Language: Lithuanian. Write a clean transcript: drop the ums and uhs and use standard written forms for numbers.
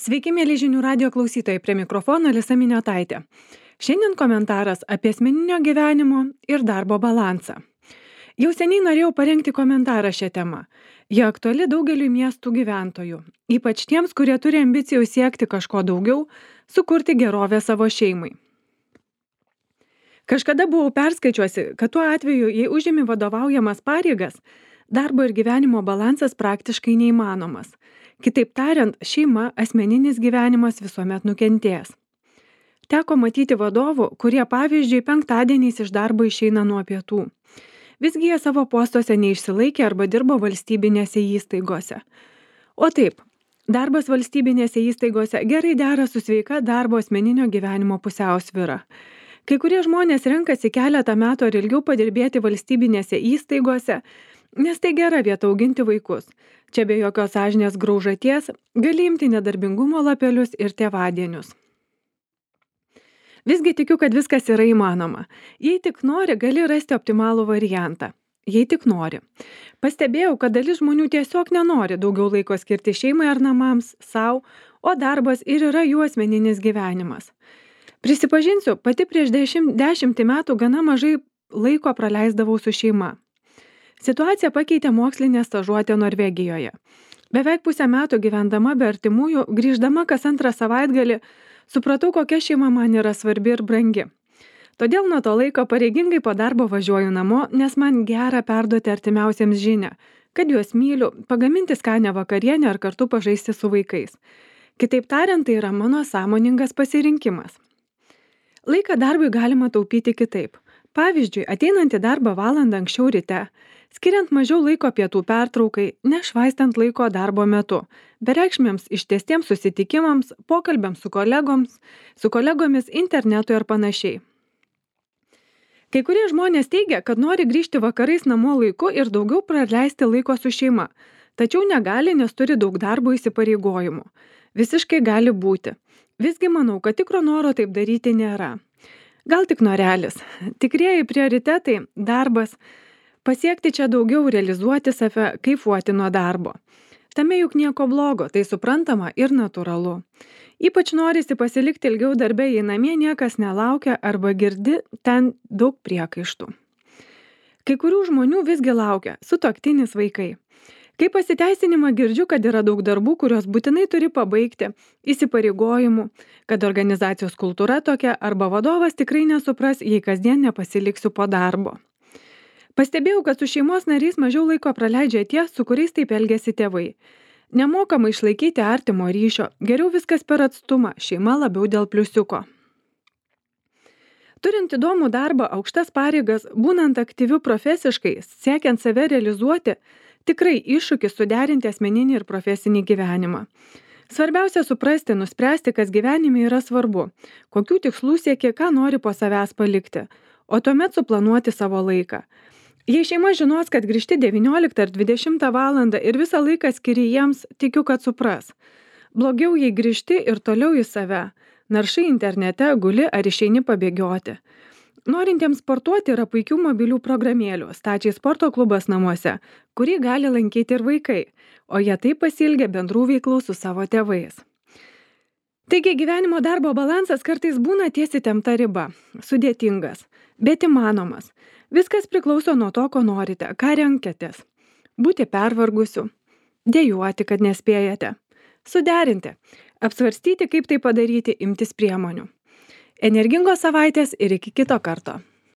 Sveiki, mėly žinių radio klausytojai, prie mikrofono Alisa Miniotaitė. Šiandien komentaras apie asmeninio gyvenimo ir darbo balansą. Jau seniai norėjau parengti komentarą šią temą. Jie aktuali daugeliui miestų gyventojų, ypač tiems, kurie turi ambicijų siekti kažko daugiau, sukurti gerovę savo šeimai. Kažkada buvau perskaičiuosi, kad tuo atveju, jei užimi vadovaujamas pareigas, darbo ir gyvenimo balansas praktiškai neįmanomas. Kitaip tariant, šeima, asmeninis gyvenimas visuomet nukentės. Teko matyti vadovų, kurie pavyzdžiui penktadieniais iš darbo išeina nuo pietų. Visgi jie savo postuose neišsilaikė arba dirbo valstybinėse įstaigose. O taip, darbas valstybinėse įstaigose gerai dera su sveika darbo asmeninio gyvenimo pusiausvyra. Kai kurie žmonės renkasi keletą metų ar ilgiau padirbėti valstybinėse įstaigose, nes tai gera vieta auginti vaikus. Čia be jokios sąžinės graužaties gali imti nedarbingumo lapelius ir tėvadienius. Visgi tikiu, kad viskas yra įmanoma. Jei tik nori, gali rasti optimalų variantą. Jei tik nori. Pastebėjau, kad dalis žmonių tiesiog nenori daugiau laiko skirti šeimai ar namams, savo, o darbas ir yra jų asmeninis gyvenimas. Prisipažinsiu, pati prieš 10 metų gana mažai laiko praleisdavau su šeima. Situaciją pakeitė mokslinė stažuotė Norvegijoje. Beveik pusę metų gyvendama be artimųjų, grįždama kas antrą savaitgalį, supratau, kokia šeima man yra svarbi ir brangi. Todėl nuo to laiko pareigingai po darbo važiuoju namo, nes man gera perduoti artimiausiems žinią, kad juos myliu, pagaminti skanią vakarienę ar kartu pažaisti su vaikais. Kitaip tariant, tai yra mano sąmoningas pasirinkimas. Laiką darbui galima taupyti kitaip. Pavyzdžiui, ateinant į darbą valandą anksčiau ryte, skiriant mažiau laiko pietų pertraukai, nešvaistant laiko darbo metu, bereikšmėms ištęstiems susitikimams, pokalbiams su kolegomis internetui ar panašiai. Kai kurie žmonės teigia, kad nori grįžti vakarais namo laiku ir daugiau praleisti laiko su šeima, tačiau negali, nes turi daug darbo įsipareigojimų. Visiškai gali būti. Visgi manau, kad tikro noro taip daryti nėra. Gal tik norelis. Tikrieji prioritetai – darbas. Pasiekti čia daugiau, realizuoti save, kaifuoti nuo darbo. Tame juk nieko blogo, tai suprantama ir natūralu. Ypač norisi pasilikti ilgiau darbe, jei namie niekas nelaukia arba girdi ten daug priekaištų. Kai kurių žmonių visgi laukia sutuoktinis vaikai. Kai pasiteisinimą girdžiu, kad yra daug darbų, kurios būtinai turi pabaigti, įsipareigojimų, kad organizacijos kultūra tokia arba vadovas tikrai nesupras, jei kasdien nepasiliksiu po darbo. Pastebėjau, kad su šeimos nariais mažiau laiko praleidžia tie, su kuriais taip elgiasi tėvai. Nemokama išlaikyti artimo ryšio, geriau viskas per atstumą, šeima labiau dėl pliusiuko. Turint įdomų darbą, aukštas pareigas, būnant aktyviu profesiškai, siekiant save realizuoti, tikrai iššūkis suderinti asmeninį ir profesinį gyvenimą. Svarbiausia suprasti, nuspręsti, kas gyvenime yra svarbu, kokių tikslų sieki, ką nori po savęs palikti, o tuomet suplanuoti savo laiką. Jei šeima žinos, kad grįžti 19 ar 20 valandą ir visą laiką skiri jiems, tikiu, kad supras. Blogiau, jei grįžti ir toliau į save, naršai internete, guli ar išeini pabėgioti. Norintiems sportuoti yra puikių mobilių programėlių, stačiai sporto klubas namuose, kurį gali lankyti ir vaikai, o jie taip pasiilgia bendrų veiklų su savo tėvais. Taigi gyvenimo darbo balansas kartais būna ties įtempta riba, sudėtingas, bet įmanomas. Viskas priklauso nuo to, ko norite, ką renkatės. Būti pervargusiu, dejuoti, kad nespėjate, suderinti, apsvarstyti, kaip tai padaryti, imtis priemonių. Energingos savaitės ir iki kito karto.